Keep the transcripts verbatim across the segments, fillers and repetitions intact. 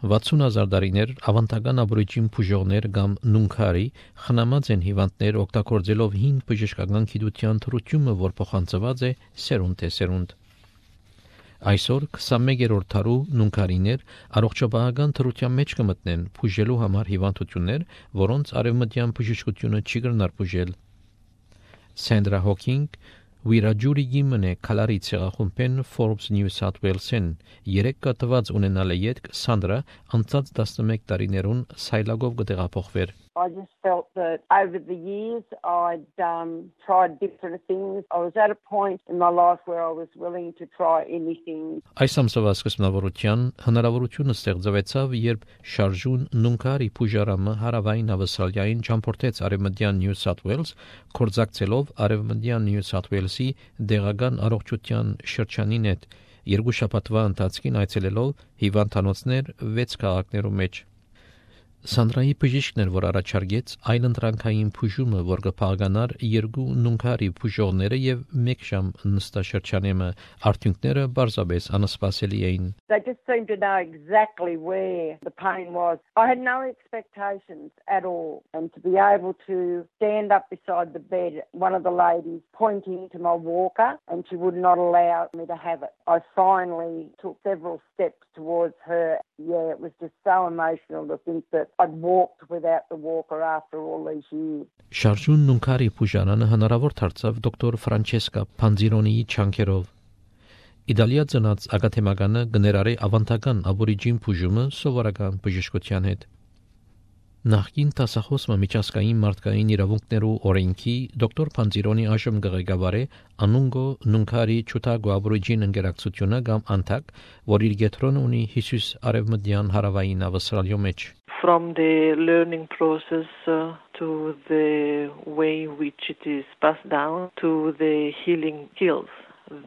վաթսուն հազար տարիներ ավանդական աբորիջին փուժողներ կամ նունքարի խնամած են հիվանդներ օգտագործելով հին բժշկական գիտության թրությունը, որ փոխանցված է սերունդ թե սերունդ։ Այսօր քսանմեկերորդ դարու նունքարիներ առողջապահական թրության մեջ կմտնեն փուժելու համար հիվանդություններ, որոնց արևմտյան բժշկությունը չի կրնար փուժել։ Սենդրա Հոքինգ Վիրաջուրի գիմն է քալարի ցեղախումբեն Forbes New South Wales-ին երեք կատված ունենալ է յետք Սանդրա անցած տասնմեկ տարիներուն սայլագով կտեղափոխվեր։ I just felt that over the years I'd um, tried different things. I was at a point in my life where I was willing to try anything. Այս ամսվա սկզբնավորության հնարավորությունը ստեղծվեցավ, երբ շարժուն նունքարի փուժարամը հարավային ավստրալիային ճամփորդեց արևմտյան New South Wales, կորզակցելով արևմտյան New South Wales-ի դեղական առողջության շրջանին հետ, երկու շաբաթվա ընթացքին այցելելով հիվանդանոցներ վեց քաղաքներում մեջ։ Սանդրայի բժիշկն էր, որ առաջարկեց այլընտրանքային փուժումը, որ կփաղկանար երկու նունքարի փուժողները եւ մեկ ժամ նստաշրջանեմը, արդյունքները բարձրապես անսպասելի էին։ They just seemed to know exactly where the pain was. I had no expectations at all, and to be able to stand up beside the bed, one of the ladies pointing to my walker, and she would not allow me to have it. I finally took several steps towards her. Yeah, it was just so emotional to think that I'd walked without the walker after all these years. Շարժուն նունքարի փուժարանը հնարավոր դարձավ դոկտոր Ֆրանչեսկա Փանձիրոնիի չանքերով։ Իտալիա ծնած ակադեմիկանը գներարի ավանդական աբորիջին փուժումը սովորական բժշկության հետ։ Նախկին տասախոսը միջազգային մարդկային իրավունքներու օրենքի դոկտոր Փանձիրոնի այժմ ղեկավար է Անունգո Նունքարի Չուտագո աբորիջին ընկերակցությունը կամ անտակ, որ իր գետրոնը ունի Հիսուս արևմտյան հարավային ավստրալիո մեջ։ From the learning process uh, to the way in which it is passed down to the healing skills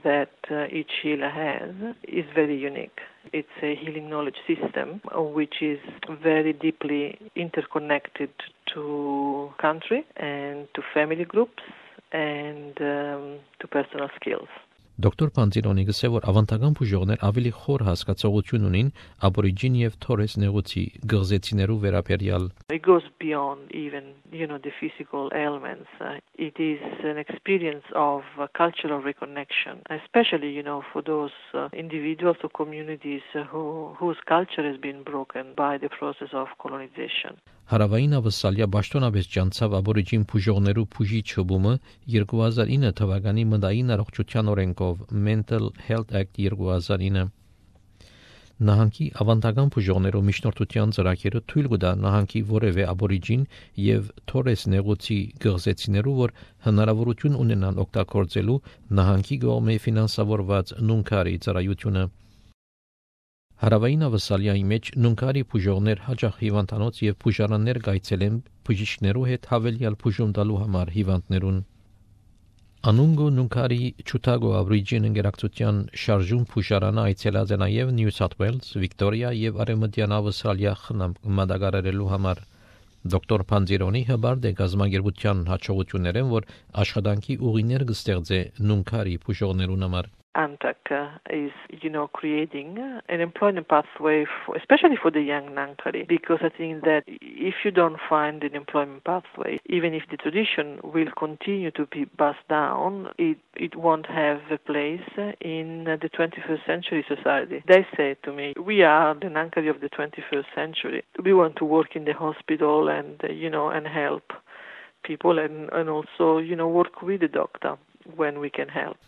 that uh, each healer has is very unique. It's a healing knowledge system uh, which is very deeply interconnected to country and to family groups and um, to personal skills. Դոկտոր Փանձիրոնի գսե որ ավանդական բուժողներ ավելի խոր հասկացողություն ունին աբորիջին եւ թորես նեղուցի գղզեցիներու վերաբերյալ. It goes beyond even, you know, the physical ailments. Uh, it is an experience of uh, cultural reconnection, especially, you know, for those uh, individuals or communities uh, who whose culture has been broken by the process of colonization. Հարավային ավստրալիա պաշտոնապես ջանցավ աբորիջին բուժողներու բուժիչ հոբումը երկու հազար ինը թվականի մտային առողջության օրենքով Mental Health Act երկու հազար ինը։ Նահանգի ավանդական բուժողներու միջնորդության ծրագիրը թույլ կտա նահանգի որևէ աբորիջին եւ թորես նեղուցի գղզեցիներու, որ հնարավորություն ունենան օգտագործելու նահանգի կողմէ ֆինանսավորված նունքարի ծառայությունը։ Հարավային ավստրալիայի մեջ նունքարի բուժողներ հաճախ հիվանդանոց եւ բուժարաններ գայցելեն բժիշկներու հետ հավելյալ բուժում տալու համար հիվանդներուն։ Անունգո նունքարի Չուտագո աբորիջին ընկերակցության շարժուն բուժարանը այցելած է նաեւ Նյու Սաութ Ուելս, Վիկտորիա եւ Արևմտյան Ավստրալիա խնամ մատակարարելու համար։ Դոկտոր Փանձիրոնի հբարդ է գազագերբության հաջողություններն, որ աշխատանքի ուղիներ կստեղծե նունքարի բուժողներուն համար։ ANTAC uh, is, you know, creating uh, an employment pathway, for, especially for the young Nankari, because I think that if you don't find an employment pathway, even if the tradition will continue to be passed down, it, it won't have a place in uh, the twenty-first century society. They say to me, we are the Nankari of the twenty-first century. We want to work in the hospital and, uh, you know, and help people and, and also, you know, work with the doctor when we can help.